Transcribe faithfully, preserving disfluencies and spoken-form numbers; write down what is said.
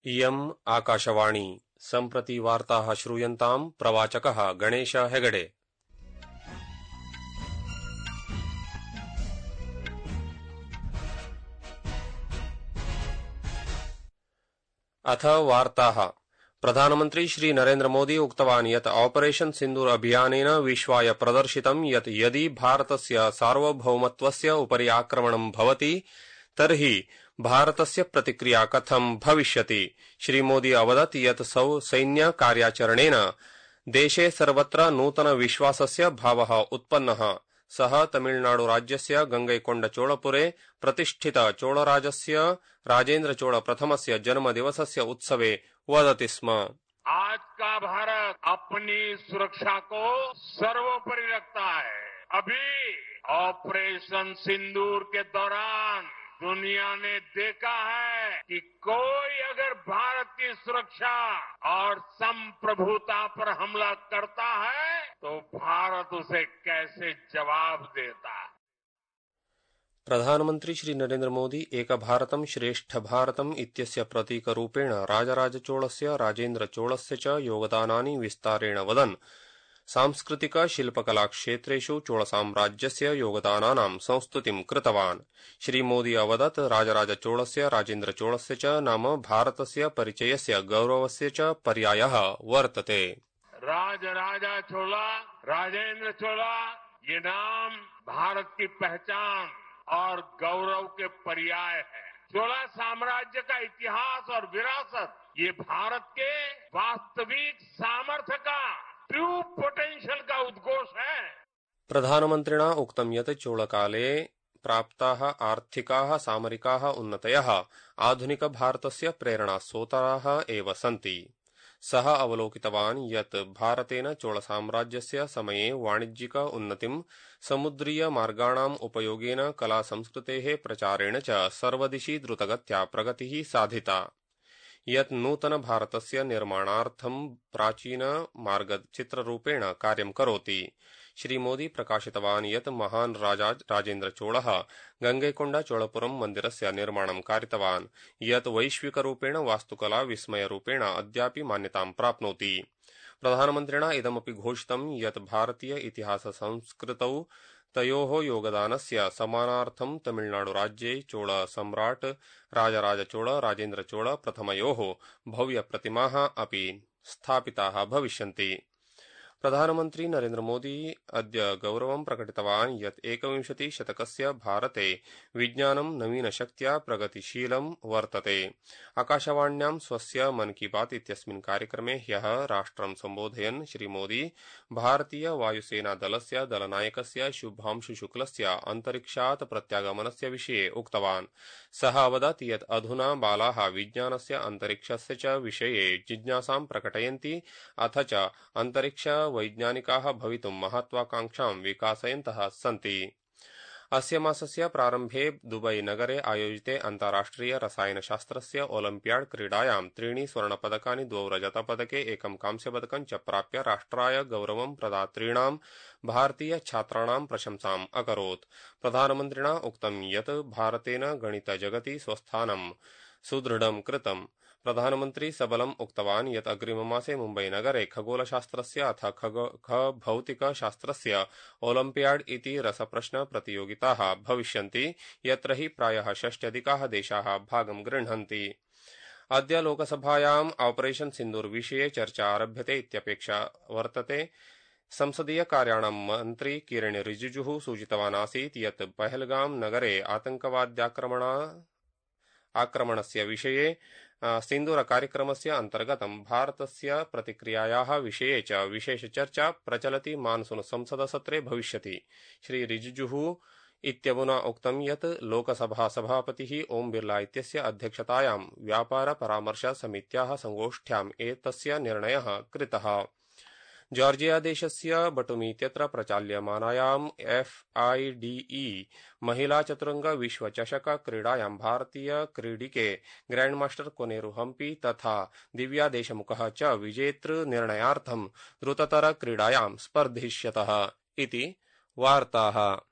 इयम् आकाशवाणी सम्प्रति वार्ताः श्रूयन्ताम् प्रवाचकः गणेश हेगडे। अथ वार्ताः। प्रधानमन्त्री श्री नरेन्द्र मोदी उक्तवान् यत् ऑपरेशन सिन्दूर अभियानेन विश्वाय प्रदर्शितं यत् यदि भारतस्य सार्वभौमत्वस्य उपरि आक्रमणं भवति तर्हि भारतस्य प्रतिक्रिया कथं भविष्यति। श्रीमोदी अवदत् यत् सैन्य कार्याचरणेन देशे सर्वत्र नूतन विश्वासस्य भावः उत्पन्नः। सः तमिलनाडु राज्यस्य गंगैकोण्डचोळपुरे प्रतिष्ठित चोळराजस्य राजेन्द्र चोळ प्रथमस्य जन्मदिवसस्य उत्सवे वदति स्म। आज का भारत अपनी सुरक्षा को सर्वोपरि रखता है। अभी ऑपरेशन सिंदूर के दौरान दुनिया ने देखा है कि कोई अगर भारत की सुरक्षा और संप्रभुता पर हमला करता है तो भारत उसे कैसे जवाब देता है। प्रधानमन्त्री श्री नरेन्द्र मोदी एक भारतं श्रेष्ठ भारतम् इत्यस्य प्रतीकरूपेण राजराजचोळस्य राजेन्द्र चोळस्य च योगदानानि विस्तारेण वदन् सांस्कृतिक शिल्पकला क्षेत्रेषु चोळसाम्राज्यस्य योगदानानां संस्तुतिं कृतवान्। श्रीमोदी अवदत् राजराजचोळस्य राजेन्द्र चोळस्य च नाम भारतस्य परिचयस्य गौरवस्य च पर्यायः वर्तते। राजराजा चोला, राजेन्द्र चोला, ये नाम भारत की पहचान और गौरव के पर्याय है। चोला साम्राज्य का इतिहास और विरासत ये भारत के वास्तविक सामर्थ्य का ट्रू पोटेंशियल का उद्घोष है। प्रधानमन्त्रिणा उक्तं यत् चोळकाले प्राप्ताः आर्थिकाः सामरिकाः उन्नतयः आधुनिक भारतस्य प्रेरणास्रोताः एव सन्ति। सः अवलोकितवान् यत् भारतेन चोळसाम्राज्यस्य समये वाणिज्यिक उन्नतिं समुद्रीय मार्गाणाम् उपयोगेन कला संस्कृतेः प्रचारेण च सर्वदिशि द्रुतगत्या प्रगतिः साधिता, यत् नूतन भारतस्य निर्माणार्थं प्राचीन मार्गचित्ररूपेण कार्यं करोति। श्रीमोदी प्रकाशितवान् यत् महान् राजा राजेन्द्र चोळः गंगैकोण्डचोळपुरं मन्दिरस्य निर्माणं कारितवान्, यत् वैश्विकरूपेण वास्तुकला विस्मयरूपेण अद्यापि मान्यतां प्राप्नोति। प्रधानमन्त्रिणा इदमपि घोषितं यत् भारतीय इतिहास संस्कृतौ तयोः योगदानस्य सम्मानार्थं तमिलनाडुराज्ये चोळ सम्राट् राजराजचोळ राजेन्द्र चोळ प्रथमयोः भव्यप्रतिमाः अपि स्थापिताः भविष्यन्ति। प्रधानमन्त्री नरेन्द्र मोदी अद्य गौरवं प्रकटितवान् यत् एकविंशति शतकस्य भारते विज्ञानं नवीनशक्त्या प्रगतिशीलं वर्तते। आकाशवाण्यां स्वस्य मन की बात इत्यस्मिन् कार्यक्रमे ह्यः राष्ट्रं सम्बोधयन् श्रीमोदी भारतीय वायुसेना दलस्य दलनायकस्य शुभांशु शुक्लस्य अन्तरिक्षात् प्रत्यागमनस्य विषये उक्तवान्। सः अवदत् यत् अधुना बालाः विज्ञानस्य अन्तरिक्षस्य च विषये जिज्ञासां प्रकटयन्ति अथ च अन्तरिक्ष वैज्ञानिकाः भवितुं महत्वाकांक्षां विकासयन्तः सन्ति। अस्य मासस्य प्रारम्भे दुबई नगरे आयोजिते अन्ताराष्ट्रिय रसायनशास्त्रस्य ओलम्पियाड क्रीडायां त्रीणि स्वर्णपदकानि द्वौ रजतपदके एकं कांस्यपदकं च प्राप्य राष्ट्राय गौरवं प्रदातॄणां भारतीय छात्राणां प्रशंसाम् अकरोत्। प्रधानमन्त्रिणा उक्तं यत् भारतेन गणितजगति स्वस्थानं सुदृढं कृतम्। प्रधानमन्त्री सबलम् उक्तवान् यत् अग्रिममासे मुम्बईनगरे खगोलशास्त्रस्य अथ खगोलभौतिकशास्त्रस्य ओलम्पियाड इति रसप्रश्न प्रतियोगिताः भविष्यन्ति, यत्र हि प्रायः षष्ट्यधिकाः देशाः भागं गृह्णन्ति। अद्य लोकसभायाम् ऑपरेशन सिन्दूर विषये चर्चा आरभ्यते इत्यपेक्षा वर्तते। संसदीय कार्याणां मन्त्री किरेन रिजिजुः सूचितवान् आसीत् यत् पहलगाम नगरे आतङ्कवाद्याक्रमण आक्रमणस्य विषये सिन्दूर कार्यक्रमस्य अन्तर्गतं भारतस्य प्रतिक्रियायाः विषये च विशेषचर्चा प्रचलति मानसून संसदसत्रे भविष्यति। श्री रिजिजुः इत्यमुना उक्तं यत् लोकसभा सभापतिः ओम बिर्ला इत्यस्य अध्यक्षतायां व्यापार परामर्श समित्याः संगोष्ठ्याम् एतस्य निर्णयः कृतः। जॉर्जिया देशस्य बटुमी इत्यत्र प्रचाल्यमानायाम् एफ आई डी ई महिला चतुरंग विश्वचषक क्रीडायां भारतीय क्रीडिके ग्रैंडमास्टर कोनेरू हम्पी तथा दिव्या देशमुखः च विजेतृ निर्णयार्थं द्रुततर क्रीडायां स्पर्धिष्यतः इति वार्ताः।